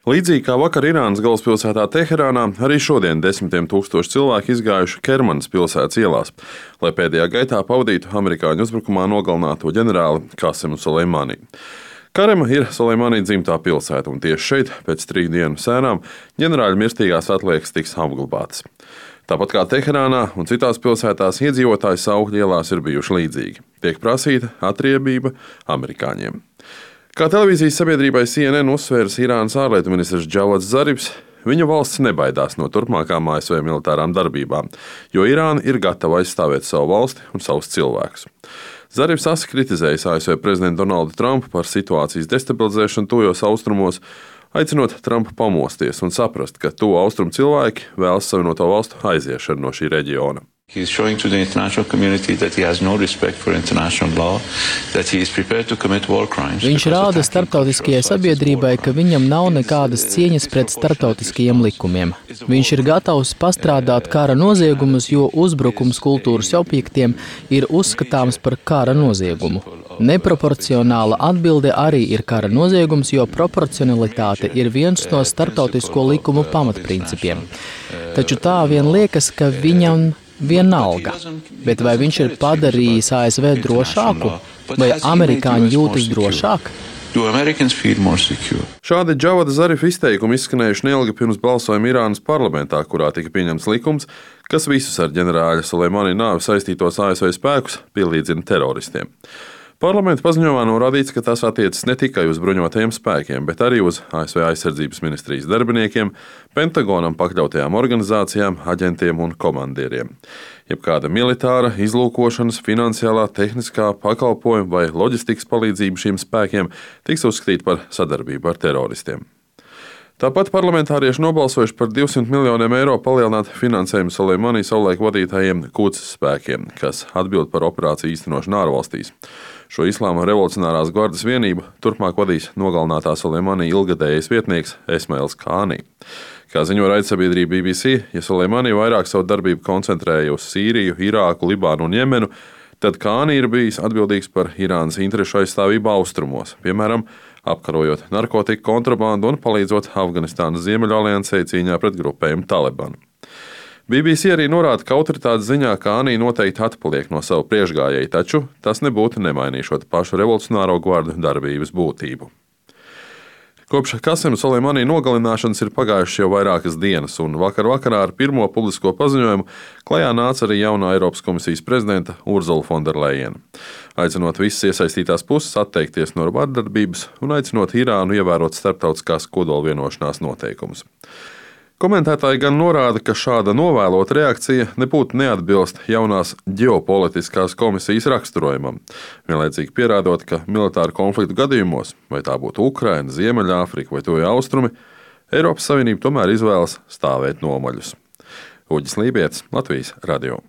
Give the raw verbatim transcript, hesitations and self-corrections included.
Līdzīgi kā vakar Irānas galvaspilsētā Teherānā, arī šodien desmitiem tūkstoši cilvēku izgājuši Kermanas pilsētas ielās, lai pēdējā gaitā pavadītu amerikāņu uzbrukumā nogalināto ģenerāli Kasemu Soleimani. Karema ir Soleimani dzimtā pilsēta, un tieši šeit, pēc trīs dienu sēnām, ģenerāļa mirstīgās atliekas tiks apglabātas. Tāpat kā Teherānā un citās pilsētās, iedzīvotāju saukļi ielās ir bijuši līdzīgi. Tiek prasīta atriebība amerikāņiem. Kā televīzijas sabiedrībai C N N uzsvērs Irānas ārlietu ministrs Džavads Zarifs, viņa valsts nebaidās no turpmākām A S V militārām darbībām, jo Irāna ir gatava aizstāvēt savu valsti un savus cilvēkus. Zarifs asi kritizējis A S V prezidentu Donaldu Trumpu par situācijas destabilizēšanu tuvajos austrumos, aicinot Trumpu pamosties un saprast, ka tuvu austrumu cilvēki vēlas savienoto valstu aiziešanu no šī reģiona. He's showing to the international community that he has no respect for international law, that he is prepared to commit war crimes. Viņš rāda starptautiskajai sabiedrībai, ka viņam nav nekādas cieņas pret starptautiskajiem likumiem. Viņš ir gatavs pastrādāt kara noziegumus, jo uzbrukums kultūras objektiem ir uzskatāms par kara noziegumu. Neproporcionāla atbilde arī ir kara noziegums, jo proporcionalitāte ir viens no starptautisko likumu pamatprincipiem. Taču tā vien liekas, ka viņam vienalga, bet vai viņš ir padarījis A S V drošāku, vai amerikāņi jūtas drošāk? Šādi Džavada Zarifa izteikumi izskanējuši neilgi pirms balsojuma Irānas parlamentā, kurā tika pieņemts likums, kas visus ar ģenerāļa Soleimani nāvi saistītos A S V spēkus pielīdzina teroristiem. Parlamenta paziņojumā norādīts, ka tas attiecas ne tikai uz bruņotajiem spēkiem, bet arī uz A S V aizsardzības ministrijas darbiniekiem, Pentagonam pakļautajām organizācijām, aģentiem un komandieriem. Jebkāda militāra, izlūkošanas, finansiālā, tehniskā pakalpojuma vai loģistikas palīdzība šiem spēkiem tiks uzskatīta par sadarbību ar teroristiem. Tāpat parlamentārieši nobalsojuši par divsimt miljoniem eiro palielināt finansējumu Soleimani savulaik vadītājiem Quds spēkiem, kas atbild par operāciju īstenošanu ārvalstīs. Šo Islāma revolucionārās gvardes vienību turpmāk vadīs nogalinātā Soleimani ilgadējais vietnieks Esmails Kāni. Kā ziņo raidsabiedrība B B C, ja Soleimani vairāk savu darbību koncentrēja uz Sīriju, Irāku, Libānu un Jemenu, tad Kāni ir bijis atbildīgs par Irānas interešu aizstāvību austrumos, piemēram, apkarojot narkotiku kontrabandu un palīdzot Afganistānas Ziemeļaliansei cīņā pret grupējumu Talibanu. B B C arī norāda, ka autoritātes ziņā Kāni noteikti atpaliek no savu priekšgājēju, taču tas nebūtu nemainīšot pašu revolucionāro gvardu darbības būtību. Kopš Kasema Soleimani nogalināšanas ir pagājušas jau vairākas dienas, un vakar vakarā ar pirmo publisko paziņojumu klajā nāca arī jaunā Eiropas komisijas prezidenta Urzula von der Leyena, aicinot visas iesaistītās puses atteikties no vardarbības un aicinot Irānu ievērot starptautiskās kodolvienošanās noteikumus. Komentētāji gan norāda, ka šāda novēlota reakcija nebūtu neatbilst jaunās ģeopolitiskās komisijas raksturojumam, vienlaicīgi pierādot, ka militāru konfliktu gadījumos, vai tā būtu Ukraina, Ziemeļāfrika vai Tuvie Austrumi, Eiropas Savienība tomēr izvēlas stāvēt nomaļus. Uģis Lībietis, Latvijas radio.